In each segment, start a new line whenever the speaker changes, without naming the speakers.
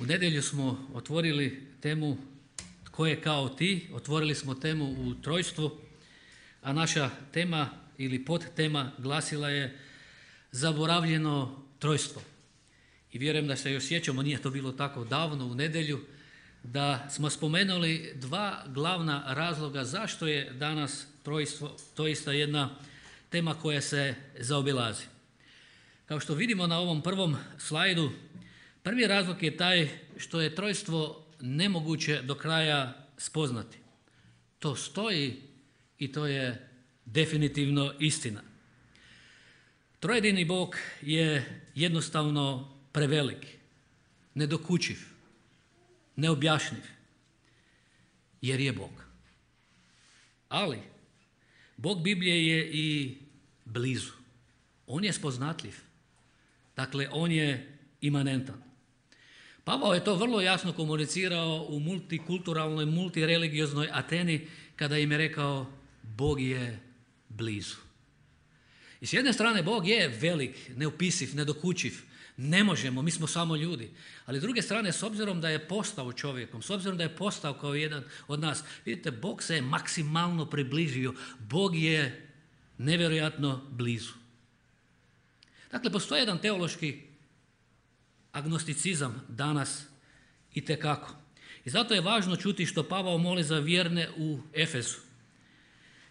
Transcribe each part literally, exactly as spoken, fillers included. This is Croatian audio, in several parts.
U nedjelju smo otvorili temu Tko je kao ti, otvorili smo temu u trojstvu, a naša tema ili podtema glasila je Zaboravljeno trojstvo. I vjerujem da se još sjećamo, nije to bilo tako davno u nedjelju, da smo spomenuli dva glavna razloga zašto je danas trojstvo doista jedna tema koja se zaobilazi. Kao što vidimo na ovom prvom slajdu, prvi razlog je taj što je trojstvo nemoguće do kraja spoznati. To stoji i to je definitivno istina. Trojedini Bog je jednostavno prevelik, nedokučiv, neobjašnjiv, jer je Bog. Ali Bog Biblije je i blizu. On je spoznatljiv. Dakle, on je imanentan. Pavao je to vrlo jasno komunicirao u multikulturalnoj, multirelигioznoj Ateni kada im je rekao Bog je blizu. I s jedne strane Bog je velik, neopisiv, nedokučiv, ne možemo, mi smo samo ljudi. Ali s druge strane, s obzirom da je postao čovjekom, s obzirom da je postao kao jedan od nas, vidite, Bog se je maksimalno približio, Bog je nevjerojatno blizu. Dakle, postoji jedan teološki agnosticizam danas itekako. I zato je važno čuti što Pavao moli za vjerne u Efesu.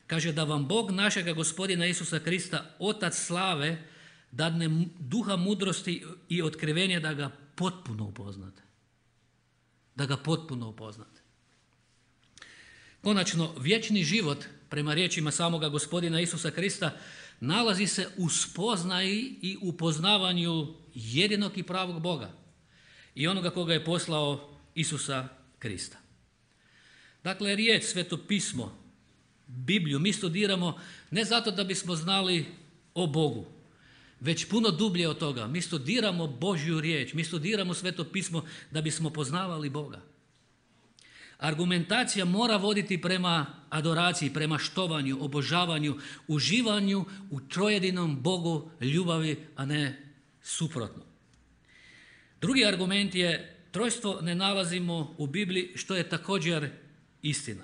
Kaže da vam Bog našega Gospodina Isusa Krista, Otac slave, dadne duha mudrosti i otkrivenja da ga potpuno upoznate. Da ga potpuno upoznate. Konačno, vječni život, prema riječima samoga Gospodina Isusa Krista, nalazi se u spoznaji i upoznavanju jedinog i pravog Boga i onoga koga je poslao Isusa Krista. Dakle, riječ, Sveto pismo, Bibliju mi studiramo ne zato da bismo znali o Bogu, već puno dublje od toga. Mi studiramo Božju riječ, mi studiramo Sveto pismo da bismo poznavali Boga. Argumentacija mora voditi prema adoraciji, prema štovanju, obožavanju, uživanju u trojedinom Bogu ljubavi, a ne suprotno. Drugi argument je trojstvo ne nalazimo u Bibliji, što je također istina.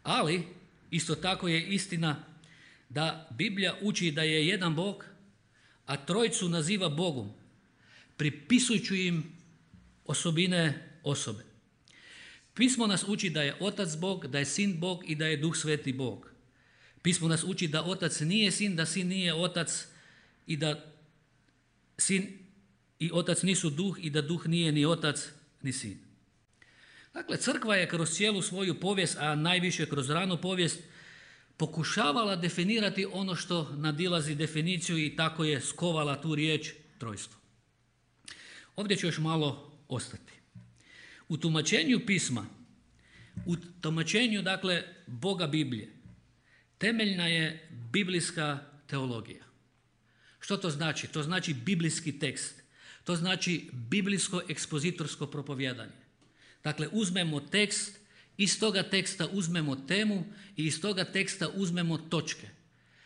Ali isto tako je istina da Biblija uči da je jedan Bog, a trojicu naziva Bogom, pripisujući im osobine osobe. Pismo nas uči da je Otac Bog, da je Sin Bog i da je Duh Sveti Bog. Pismo nas uči da Otac nije Sin, da Sin nije Otac i da Sin i Otac nisu Duh i da Duh nije ni Otac ni Sin. Dakle, crkva je kroz cijelu svoju povijest, a najviše kroz ranu povijest, pokušavala definirati ono što nadilazi definiciju i tako je skovala tu riječ trojstvo. Ovdje ću još malo ostati. U tumačenju pisma, u tumačenju, dakle, Boga Biblije, temeljna je biblijska teologija. Što to znači? To znači biblijski tekst. To znači biblijsko ekspozitorsko propovijedanje. Dakle, uzmemo tekst, iz toga teksta uzmemo temu i iz toga teksta uzmemo točke.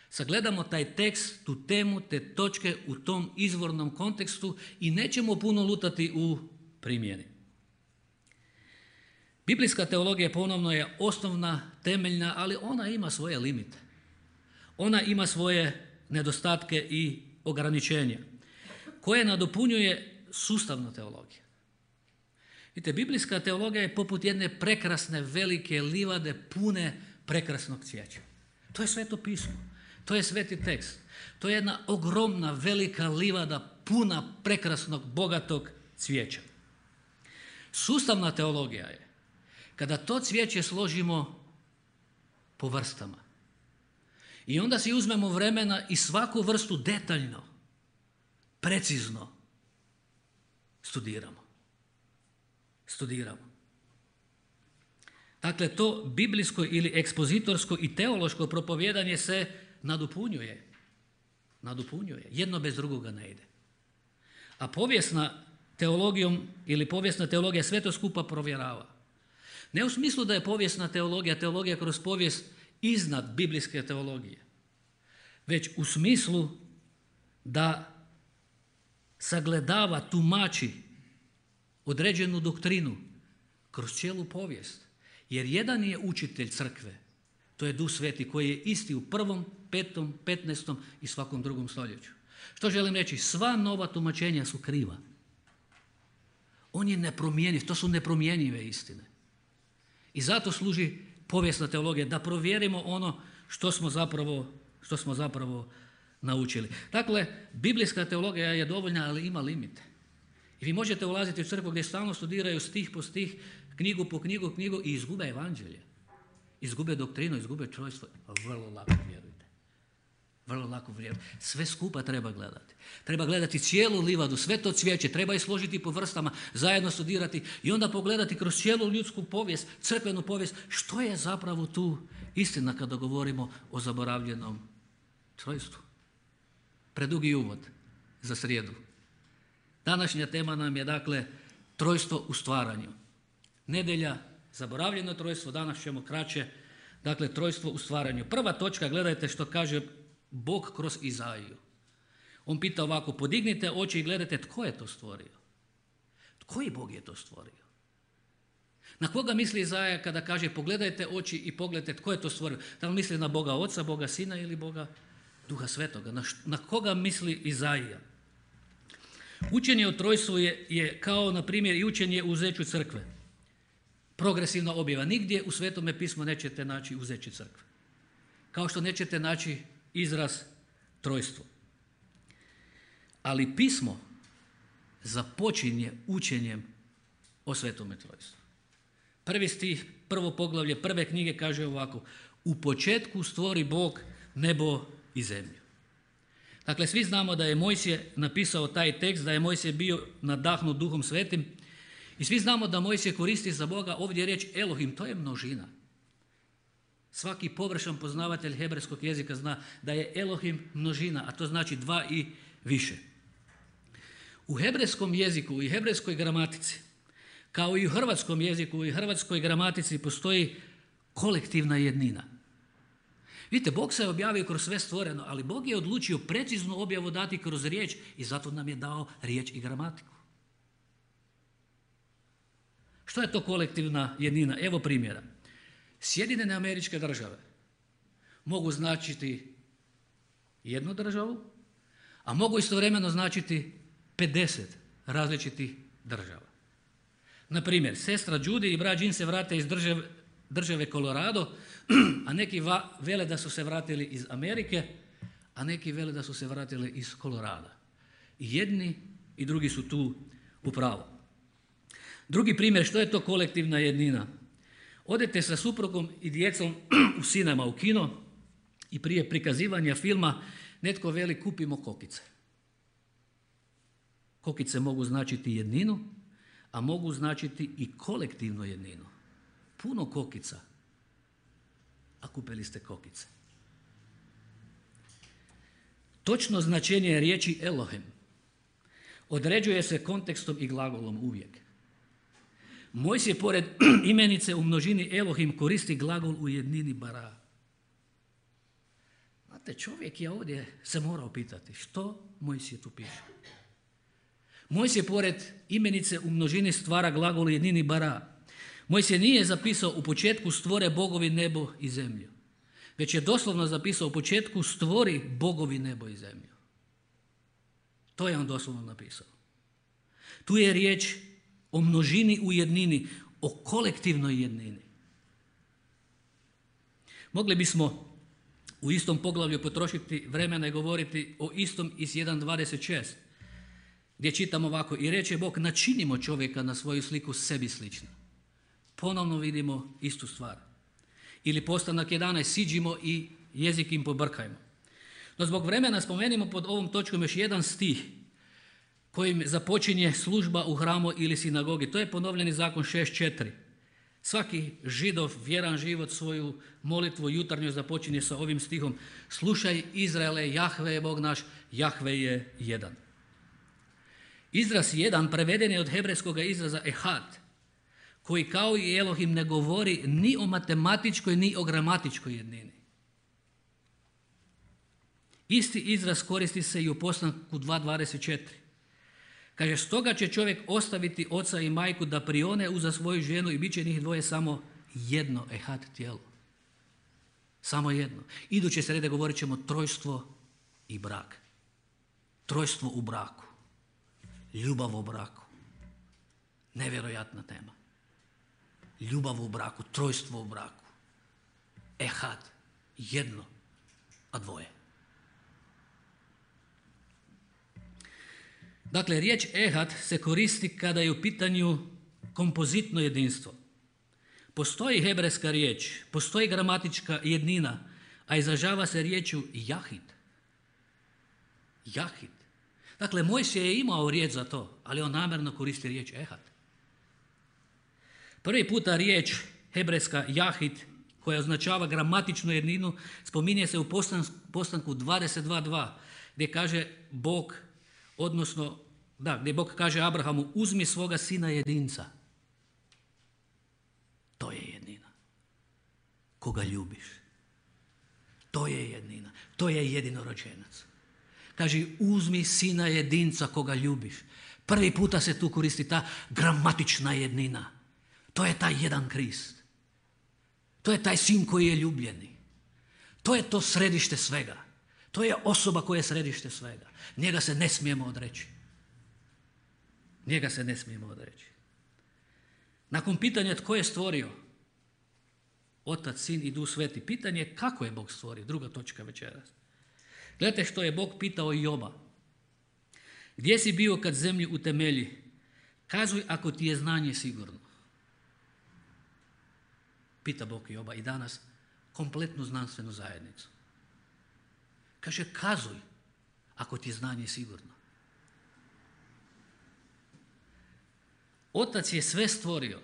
Sagledamo taj tekst, tu temu, te točke u tom izvornom kontekstu i nećemo puno lutati u primjeni. Biblijska teologija ponovno je osnovna, temeljna, ali ona ima svoje limite. Ona ima svoje nedostatke i ograničenja koje nadopunjuje sustavna teologija. Vidite, biblijska teologija je poput jedne prekrasne velike livade pune prekrasnog cvijeća. To je Sveto pismo, to je sveti tekst. To je jedna ogromna velika livada puna prekrasnog bogatog cvijeća. Sustavna teologija je kada to cvijeće složimo po vrstama. I onda si uzmemo vremena i svaku vrstu detaljno, precizno studiramo. Studiramo. Dakle, to biblijsko ili ekspozitorsko i teološko propovijedanje se nadopunjuje. Nadopunjuje. Jedno bez drugoga ne ide. A povijesna teologijom ili povijesna teologija sve to skupa provjerava. Ne u smislu da je povijesna teologija, teologija kroz povijest iznad biblijske teologije, već u smislu da sagledava, tumači određenu doktrinu kroz cijelu povijest. Jer jedan je učitelj crkve, to je Duh Sveti koji je isti u prvom, petom, petnaestom i svakom drugom stoljeću. Što želim reći? Sva nova tumačenja su kriva. On je nepromjenjiv, to su nepromjenjive istine. I zato služi povijesna teologija, da provjerimo ono što smo zapravo, što smo zapravo naučili. Dakle, biblijska teologija je dovoljna, ali ima limite. I vi možete ulaziti u crkvu gdje stalno studiraju stih po stih, knjigu po knjigu, knjigu i izgube evanđelje. Izgube doktrinu, izgube čovječstvo. Vrlo lako vjerujte. Vrlo lako vjerujte. Sve skupa treba gledati. Treba gledati cijelu livadu, sve to cvijeće, treba je složiti po vrstama, zajedno studirati i onda pogledati kroz cijelu ljudsku povijest, crkvenu povijest, što je zapravo tu istina kada govorimo o zaboravljenom trojstvu. Predugi uvod za srijedu. Današnja tema nam je dakle trojstvo u stvaranju. Nedjelja, zaboravljeno trojstvo, danas ćemo kraće, dakle trojstvo u stvaranju. Prva točka, gledajte što kaže Bog kroz Izaiju. On pita ovako, podignite oči i gledajte tko je to stvorio. Koji Bog je to stvorio? Na koga misli Izaija kada kaže pogledajte oči i pogledajte tko je to stvorio? Da li misli na Boga Oca, Boga Sina ili Boga Duha Svetoga? Na, š, na koga misli Izaija? Učenje o trojstvu je, je kao, na primjer, i učenje o uzeću crkve. Progresivna objava. Nigdje u Svetome pismu nećete naći uzeće crkve. Kao što nećete naći izraz trojstvo. Ali pismo započinje učenjem o Svetome trojstvu. Prvi stih, prvo poglavlje, prve knjige kaže ovako: u početku stvori Bog nebo i zemlju. Dakle, svi znamo da je Mojsije napisao taj tekst, da je Mojsije bio nadahnut Duhom Svetim i svi znamo da Mojsije koristi za Boga ovdje riječ Elohim, to je množina. Svaki površan poznavatelj hebrejskog jezika zna da je Elohim množina, a to znači dva i više. U hebrejskom jeziku i hebrejskoj gramatici, kao i u hrvatskom jeziku i hrvatskoj gramatici, postoji kolektivna jednina. Vidite, Bog se je objavio kroz sve stvoreno, ali Bog je odlučio preciznu objavu dati kroz riječ i zato nam je dao riječ i gramatiku. Što je to kolektivna jednina? Evo primjera. Sjedinjene Američke Države mogu značiti jednu državu, a mogu istovremeno značiti pedeset različitih država. Na primjer, sestra Judy i brat Jim se vrate iz države, države Colorado, a neki va, vele da su se vratili iz Amerike, a neki vele da su se vratili iz Kolorada. I jedni i drugi su tu u pravu. Drugi primjer, što je to kolektivna jednina? Odete sa suprugom i djecom u sinema, u kino i prije prikazivanja filma netko veli kupimo kokice. Kokice mogu značiti jedninu, a mogu značiti i kolektivnu jedninu. Puno kokica, a kupili ste kokice. Točno značenje riječi Elohim određuje se kontekstom i glagolom uvijek. Mojsije pored imenice u množini Elohim koristi glagol u jednini bara. Znate, čovjek je ovdje se morao pitati što Mojsije tu piše. Mojsije pored imenice u množini stvara glagol u jednini bara. Mojsije nije zapisao u početku stvore bogovi nebo i zemlju, već je doslovno zapisao u početku stvori bogovi nebo i zemlju. To je on doslovno napisao. Tu je riječ o množini u jednini, o kolektivnoj jednini. Mogli bismo u istom poglavlju potrošiti vremena i govoriti o istom iz jedan dvadeset šest, gdje čitam ovako: i reče Bog, načinimo čovjeka na svoju sliku sebi slično. Ponovno vidimo istu stvar. Ili postanak jedanaest, siđimo i jezik im pobrkajmo. No zbog vremena spomenimo pod ovom točkom još jedan stih kojim započinje služba u hramu ili sinagogi. To je ponovljeni zakon šest četiri. Svaki Židov vjeran život svoju molitvu jutarnju započinje sa ovim stihom: slušaj Izraele, Jahve je Bog naš, Jahve je jedan. Izraz jedan preveden je od hebrejskog izraza ehad, koji kao i Elohim ne govori ni o matematičkoj ni o gramatičkoj jednini. Isti izraz koristi se i u postanku dva dvadeset četiri. Kaže, stoga će čovjek ostaviti oca i majku da prione uza svoju ženu i bit će njih dvoje samo jedno ehad tijelo. Samo jedno. Iduće srede govorit ćemo trojstvo i brak. Trojstvo u braku. Ljubav u braku. Nevjerojatna tema. Ljubav u braku, trojstvo u braku. Ehad, jedno, a dvoje. Dakle, riječ ehad se koristi kada je u pitanju kompozitno jedinstvo. Postoji hebrejska riječ, postoji gramatička jednina, a izražava se riječju jahid. Jahid. Dakle, Mojsije je imao riječ za to, ali on namjerno koristi riječ ehad. Prvi puta riječ hebrejska jahid, koja označava gramatičnu jedninu, spominje se u postanku dvadeset dva dva, gdje kaže Bog, odnosno, da, gdje Bog kaže Abrahamu, uzmi svoga sina jedinca. To je jednina. Koga ljubiš. To je jednina. To je jedinorođenac. Kaže, uzmi sina jedinca koga ljubiš. Prvi puta se tu koristi ta gramatična jednina. To je taj jedan Krist. To je taj sin koji je ljubljeni. To je to središte svega. To je osoba koja je središte svega. Njega se ne smijemo odreći. Njega se ne smijemo odreći. Nakon pitanja tko je stvorio, Otac, Sin i Duh Sveti, pitanje je kako je Bog stvorio, druga točka večeras. Gledajte što je Bog pitao Joba. Gdje si bio kad zemlju utemelji? Kazuj ako ti je znanje sigurno. Pita Bog Joba i danas kompletnu znanstvenu zajednicu. Kaže, kazuj ako ti je znanje sigurno. Otac je sve stvorio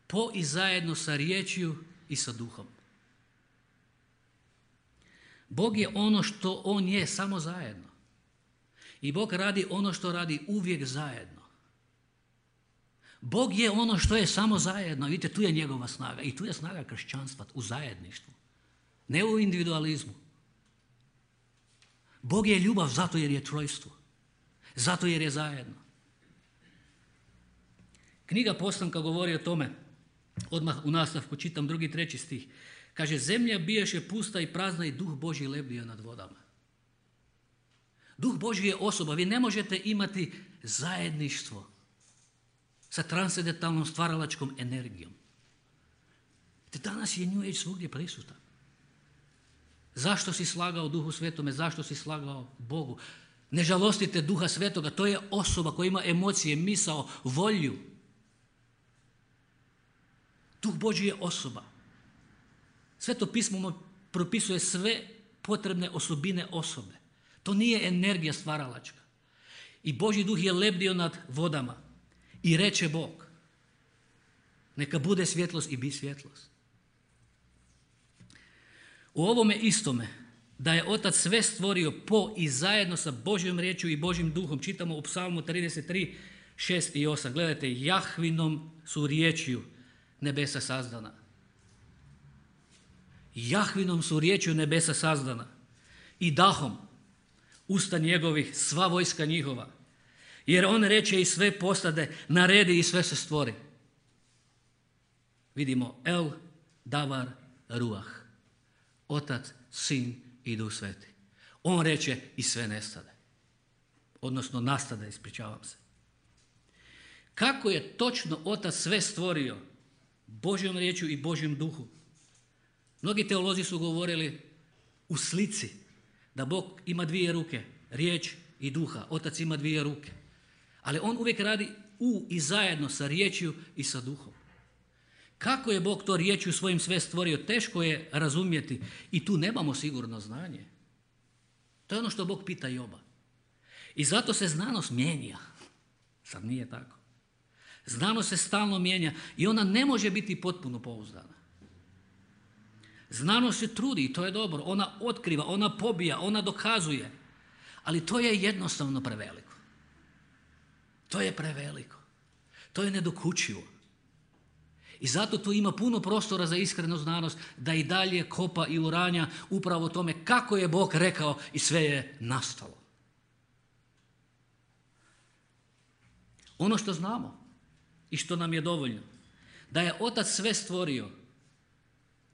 po i zajedno sa riječju i sa duhom. Bog je ono što on je, samo zajedno. I Bog radi ono što radi uvijek zajedno. Bog je ono što je samo zajedno. Vidite, tu je njegova snaga. I tu je snaga kršćanstva, u zajedništvu. Ne u individualizmu. Bog je ljubav zato jer je trojstvo. Zato jer je zajedno. Knjiga Postanka govori o tome. Odmah u nastavku čitam drugi, treći stih. Kaže, zemlja bijaše pusta i prazna i Duh Božji lebdio nad vodama. Duh Božji je osoba. Vi ne možete imati zajedništvo sa transcendentalnom stvaralačkom energijom. Te danas je New Age svugdje prisutan. Zašto si slagao Duhu Svetome? Zašto si slagao Bogu? Ne žalostite Duha Svetoga. To je osoba koja ima emocije, misao, volju. Duh Božji je osoba. Sveto pismo mu propisuje sve potrebne osobine osobe. To nije energija stvaralačka. I Božji duh je lebdio nad vodama. I reče Bog, neka bude svjetlost i bi svjetlost. U ovome istome, da je Otac sve stvorio po i zajedno sa Božjom riječju i Božjim duhom, čitamo u Psalmu trideset tri, šest i osam. Gledajte, Jahvinom su riječju nebesa sazdana. Jahvinom su riječju nebesa sazdana. I dahom usta njegovih, sva vojska njihova. Jer on reče i sve postade, naredi i sve se stvori. Vidimo El, Davar, Ruah. Otac, Sin i Duh Sveti. On reče i sve nestade. Odnosno nastade, ispričavam se. Kako je točno Otac sve stvorio Božjom riječju i Božjem duhu? Mnogi teolozi su govorili u slici da Bog ima dvije ruke, riječ i duha. Otac ima dvije ruke. Ali on uvijek radi u i zajedno sa riječju i sa duhom. Kako je Bog to riječju svojim sve stvorio, teško je razumjeti i tu nemamo sigurno znanje. To je ono što Bog pita Joba. I zato se znanost mijenja. Sad nije tako. Znanost se stalno mijenja i ona ne može biti potpuno pouzdana. Znanost se trudi i to je dobro. Ona otkriva, ona pobija, ona dokazuje. Ali to je jednostavno preveliko. To je preveliko. To je nedokučivo. I zato tu ima puno prostora za iskrenu znanost da i dalje kopa i uranja upravo o tome kako je Bog rekao i sve je nastalo. Ono što znamo i što nam je dovoljno, da je Otac sve stvorio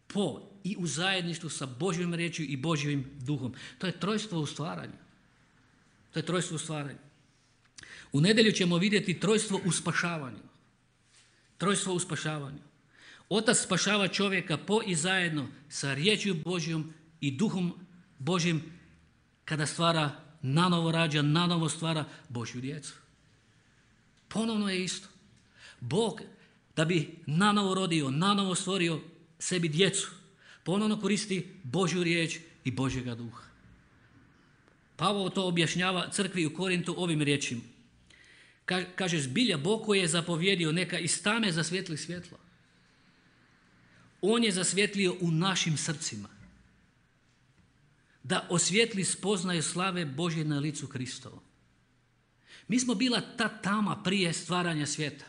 po i u zajedništvu sa Božjom riječju i Božjim duhom. To je trojstvo u stvaranju. To je trojstvo u stvaranju. U nedjelju ćemo vidjeti trojstvo u spašavanju. Trojstvo u spašavanju. Otac spašava čovjeka po i zajedno sa riječju Božjom i duhom Božjim kada stvara, nanovo rađa, nanovo stvara Božju djecu. Ponovno je isto. Bog, da bi nanovo rodio, nanovo stvorio sebi djecu, ponovno koristi Božju riječ i Božjega duha. Pavao to objašnjava crkvi u Korintu ovim riječima. Kaže, zbilja Bog koji je zapovjedio neka iz tame zasvijetli svjetlo. On je zasvjetlio u našim srcima da osvijetli spoznaju slave Božje na licu Kristovo. Mi smo bila ta tama prije stvaranja svijeta,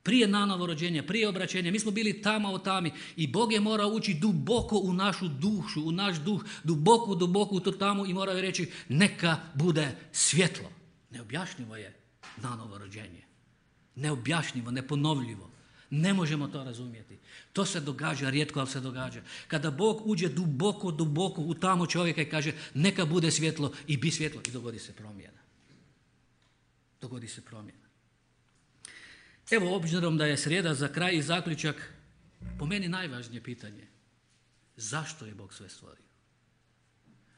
prije nanovo rođenja, prije obraćenja. Mi smo bili tama o tami i Bog je morao ući duboko u našu dušu, u naš duh, duboko, duboko u tu tamu i morao je reći neka bude svjetlo. Neobjašnjivo je nanovo rođenje. Neobjašnjivo, neponovljivo. Ne možemo to razumjeti. To se događa, rijetko, ali se događa. Kada Bog uđe duboko, duboko u tamo čovjeka i kaže neka bude svjetlo i bi svjetlo i dogodi se promjena. Dogodi se promjena. Evo, obzirom da je srijeda za kraj i zaključak, po meni najvažnije pitanje. Zašto je Bog sve stvorio?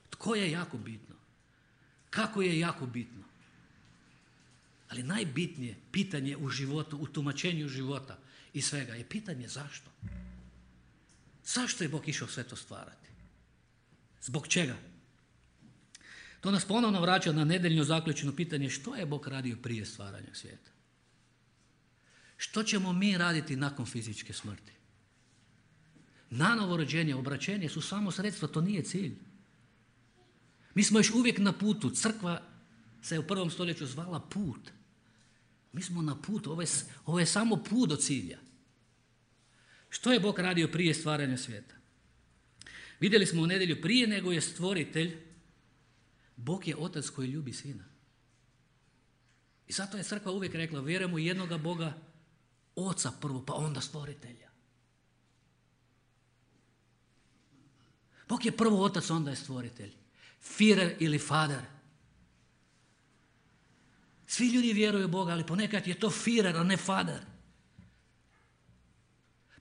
Tko je jako bitno? Kako je jako bitno? Ali najbitnije pitanje u životu, u tumačenju života i svega je pitanje zašto. Zašto je Bog išao sve to stvarati? Zbog čega? To nas ponovno vraća na nedeljno zaključeno pitanje što je Bog radio prije stvaranja svijeta. Što ćemo mi raditi nakon fizičke smrti? Nanovo rođenje, obraćenje su samo sredstva, to nije cilj. Mi smo još uvijek na putu. Crkva se u prvom stoljeću zvala put. Mi smo na putu, ovo je, ovo je samo put do cilja. Što je Bog radio prije stvaranja svijeta? Vidjeli smo u nedjelju, prije nego je stvoritelj, Bog je Otac koji ljubi Sina. I zato je crkva uvijek rekla, vjerujemo u jednoga Boga, Oca prvo, pa onda stvoritelja. Bog je prvo Otac, onda je stvoritelj. Führer ili Fader. Svi ljudi vjeruju u Boga, ali ponekad je to Führer, a ne Fader.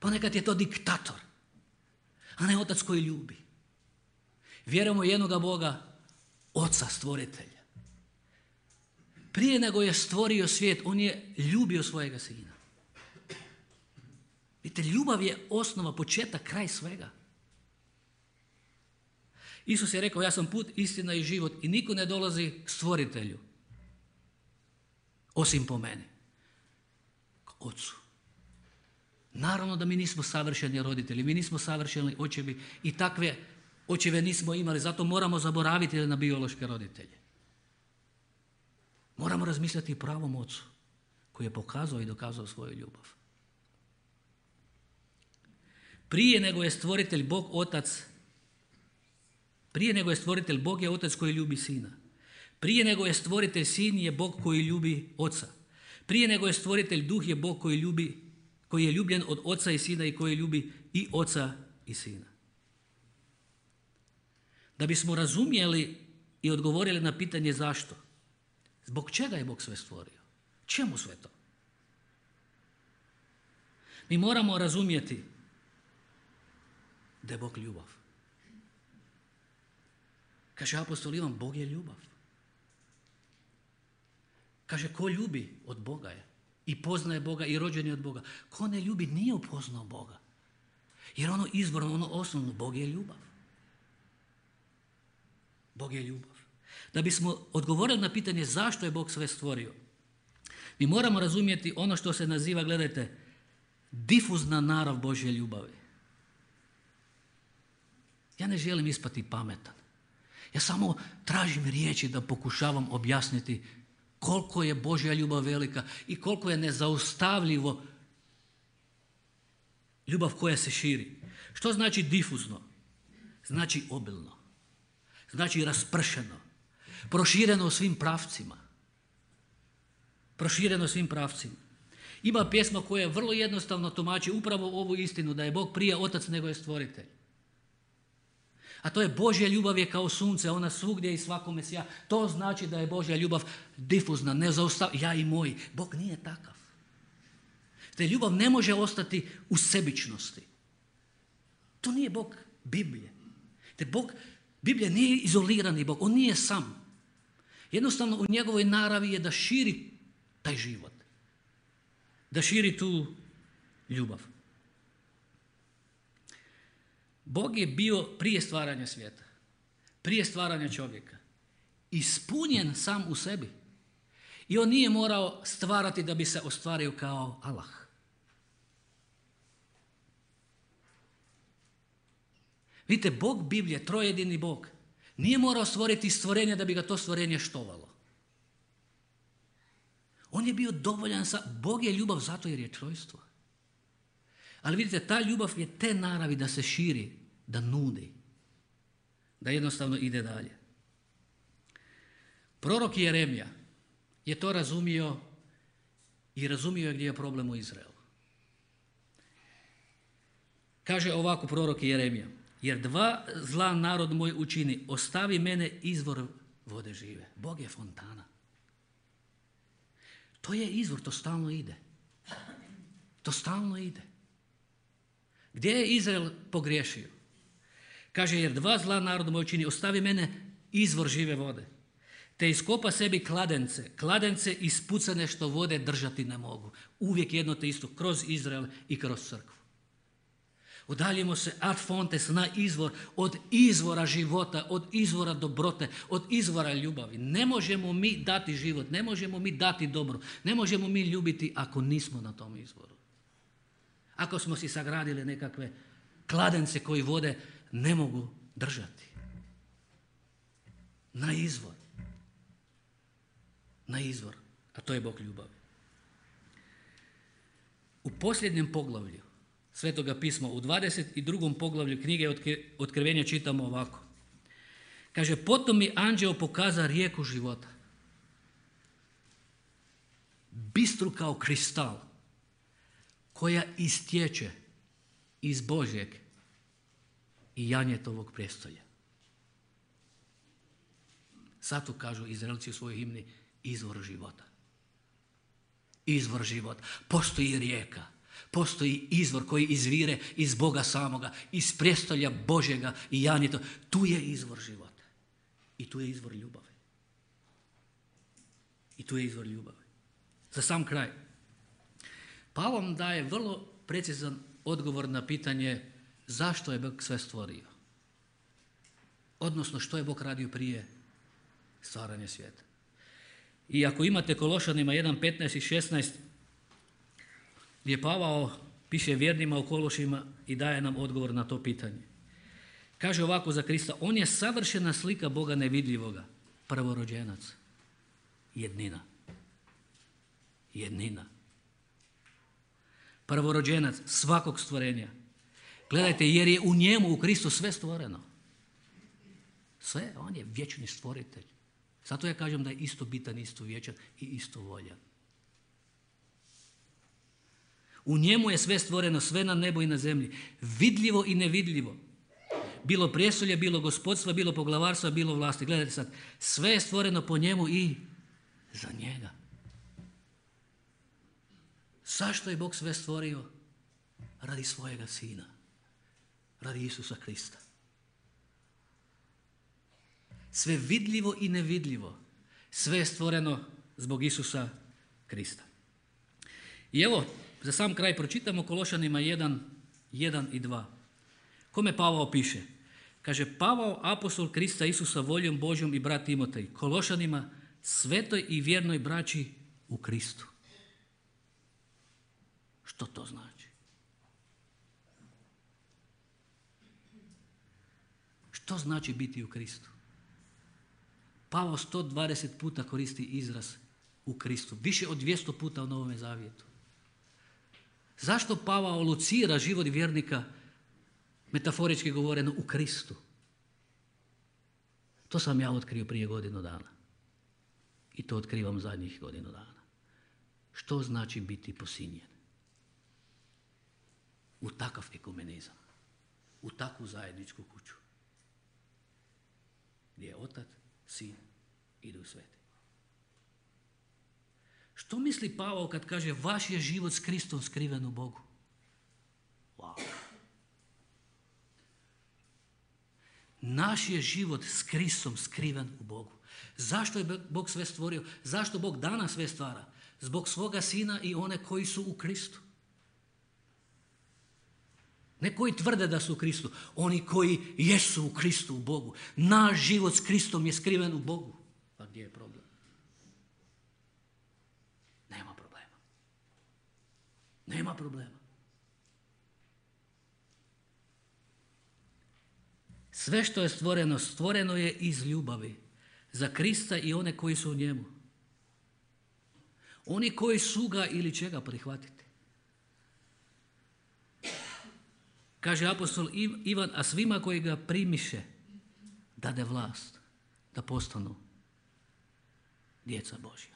Ponekad je to diktator, a ne Otac koji ljubi. Vjerujemo u jednoga Boga, Oca stvoritelja. Prije nego je stvorio svijet, on je ljubio svojega Sina. Vidite, ljubav je osnova, početak, kraj svega. Isus je rekao, ja sam put, istina i život i niko ne dolazi stvoritelju, osim po meni, k Ocu. Naravno da mi nismo savršeni roditelji, mi nismo savršeni očevi i takve očeve nismo imali, zato moramo zaboraviti na biološke roditelje. Moramo razmisliti o pravom Ocu koji je pokazao i dokazao svoju ljubav. Prije nego je stvoritelj Bog Otac, prije nego je stvoritelj Bog je Otac koji ljubi Sina. Prije nego je stvoritelj Sin je Bog koji ljubi Oca. Prije nego je stvoritelj Duh je Bog koji ljubi, koji je ljubljen od Oca i Sina i koji ljubi i Oca i Sina. Da bismo razumjeli i odgovorili na pitanje zašto, zbog čega je Bog sve stvorio? Čemu sve to? Mi moramo razumjeti da je Bog ljubav. Kaže apostol Ivan, Bog je ljubav. Kaže, ko ljubi od Boga je i poznaje Boga i rođen je od Boga. Ko ne ljubi nije upoznao Boga. Jer ono izvorno, ono osnovno, Bog je ljubav. Bog je ljubav. Da bismo odgovorili na pitanje zašto je Bog sve stvorio, mi moramo razumjeti ono što se naziva, gledajte, difuzna narav Božje ljubavi. Ja ne želim ispati pametan. Ja samo tražim riječi da pokušavam objasniti koliko je Božja ljubav velika i koliko je nezaustavljivo ljubav koja se širi. Što znači difuzno? Znači obilno. Znači raspršeno. Prošireno u svim pravcima. prošireno svim pravcima. Ima pjesma koja vrlo jednostavno tumači upravo ovu istinu, da je Bog prije otac nego je stvoritelj. A to je Božja ljubav je kao sunce, ona svugdje i svakome sja. To znači da je Božja ljubav difuzna, nezaustavljiva, ja i moj. Bog nije takav. Te ljubav ne može ostati u sebičnosti. To nije Bog Biblije. Te Bog, Biblija nije izolirani Bog, on nije sam. Jednostavno u njegovoj naravi je da širi taj život. Da širi tu ljubav. Bog je bio prije stvaranja svijeta, prije stvaranja čovjeka, ispunjen sam u sebi. I on nije morao stvarati da bi se ostvario kao Allah. Vidite, Bog Biblije, trojedini Bog, nije morao stvoriti stvorenje da bi ga to stvorenje štovalo. On je bio dovoljan sa... Bog je ljubav zato jer je trojstvo. Ali vidite, ta ljubav je te naravi da se širi, da nudi, da jednostavno ide dalje. Prorok Jeremija je to razumio i razumio je gdje je problem u Izraelu. Kaže ovako prorok Jeremija: jer dva zla narod moj učini, ostavi mene izvor vode žive. Bog je fontana. To je izvor, to stalno ide. To stalno ide. Gdje je Izrael pogriješio? Kaže, jer dva zla narod moj učini, ostavi mene izvor žive vode. Te iskopa sebi kladence, kladence ispucane što vode držati ne mogu. Uvijek jedno te isto, kroz Izrael i kroz crkvu. Udaljimo se ad fontes, na izvor, od izvora života, od izvora dobrote, od izvora ljubavi. Ne možemo mi dati život, ne možemo mi dati dobro, ne možemo mi ljubiti ako nismo na tom izvoru. Ako smo si sagradili nekakve kladence koji vode ne mogu držati. Na izvor. Na izvor, a to je Bog ljubavi. U posljednjem poglavlju Svetoga pisma, u dvadeset drugom poglavlju knjige Otkrivenja čitamo ovako. Kaže, potom mi anđeo pokaza rijeku života. Bistru kao kristal, koja istječe iz Božjeg i Janjetovog prijestolja. Zato kažu Izraelci u svojoj himni izvor života. Izvor života. Postoji rijeka. Postoji izvor koji izvire iz Boga samoga, iz prijestolja Božjega i Janjeta. Tu je izvor života. I tu je izvor ljubavi. I tu je izvor ljubavi. Za sam kraj. Pavao nam daje vrlo precizan odgovor na pitanje zašto je Bog sve stvorio. Odnosno što je Bog radio prije stvaranja svijeta. I ako imate Kološanima jedan, petnaest i šesnaest, gdje Pavao piše vjernima u Kološima i daje nam odgovor na to pitanje. Kaže ovako za Krista, on je savršena slika Boga nevidljivoga, prvorođenac, jednina. Jednina. Prvorođenac svakog stvorenja. Gledajte, jer je u njemu, u Kristu sve stvoreno. Sve, on je vječni stvoritelj. Zato ja kažem da je isto bitan, isto vječan i isto voljan. U njemu je sve stvoreno, sve na nebu i na zemlji, vidljivo i nevidljivo. Bilo prijestolje, bilo gospodstva, bilo poglavarstva, bilo vlasti. Gledajte sad, sve je stvoreno po njemu i za njega. Zašto je Bog sve stvorio? Radi svojega sina. Radi Isusa Krista. Sve vidljivo i nevidljivo. Sve je stvoreno zbog Isusa Krista. I evo, za sam kraj pročitamo Kološanima jedan, jedan i dva. Kome Pavao piše? Kaže, Pavao, apostol Krista Isusa voljom Božjom i brat Timotej, Kološanima, svetoj i vjernoj braći u Kristu. Što to znači? Što znači biti u Kristu? Pavao sto dvadeset puta koristi izraz u Kristu, više od dvjesto puta u Novome Zavjetu. Zašto Pavao locira život vjernika, metaforički govoreno, u Kristu? To sam ja otkrio prije godinu dana. I to otkrivam zadnjih godinu dana. što znači biti posinjen. U takav ekumenizam, u takvu zajedničku kuću, gdje je Otac, Sin i Duh Sveti. Što misli Pavao kad kaže vaš je život s Kristom skriven u Bogu? Wow. Naš je život s Kristom skriven u Bogu. Zašto je Bog sve stvorio? Zašto Bog danas sve stvara? Zbog svoga Sina i one koji su u Kristu. Ne koji tvrde da su u Kristu, oni koji jesu u Kristu, u Bogu. Naš život s Kristom je skriven u Bogu. Pa gdje je problem? Nema problema. Nema problema. Sve što je stvoreno, stvoreno je iz ljubavi za Krista i one koji su u njemu. Oni koji su ga ili će ga prihvatiti. Kaže apostol Ivan, a svima koji ga primiše dade vlast da postanu djeca Božja.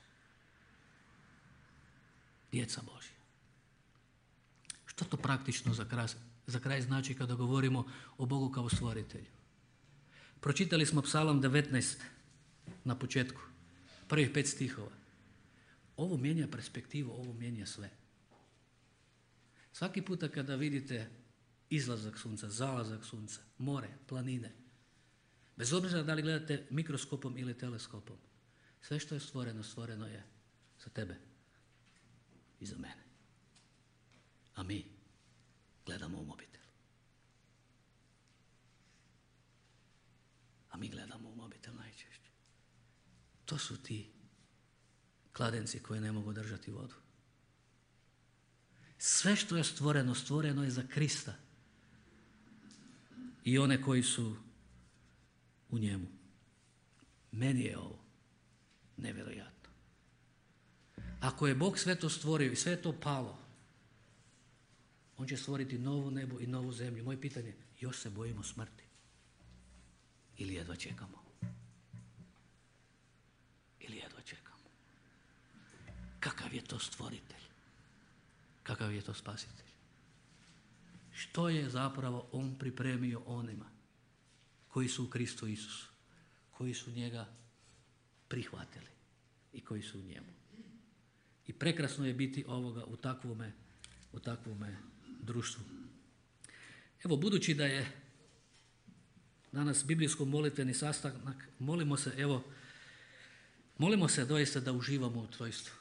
Djeca Božja. Što to praktično za kraj, za kraj znači kada govorimo o Bogu kao stvoritelju? Pročitali smo Psalam devetnaest na početku, prvih pet stihova. Ovo mijenja perspektivu, ovo mijenja sve. Svaki puta kada vidite izlazak sunca, zalazak sunca, more, planine, bez obzira da li gledate mikroskopom ili teleskopom, sve što je stvoreno, stvoreno je za tebe i za mene. A mi gledamo u mobitel. A mi gledamo u mobitel najčešće. To su ti kladenci koji ne mogu držati vodu. Sve što je stvoreno, stvoreno je za Krista i one koji su u njemu. Meni je ovo nevjerojatno. Ako je Bog sve to stvorio i sve to palo, on će stvoriti novo nebo i novu zemlju. Moje pitanje, još se bojimo smrti? Ili jedva čekamo? Ili jedva čekamo? Kakav je to stvoritelj? Kakav je to spasitelj? Što je zapravo on pripremio onima koji su u Kristu Isusu, koji su njega prihvatili i koji su u njemu. I prekrasno je biti ovoga u takvome, u takvome društvu. Evo, budući da je danas biblijsko-molitveni sastanak, molimo se, evo, molimo se doista da uživamo u trojstvu.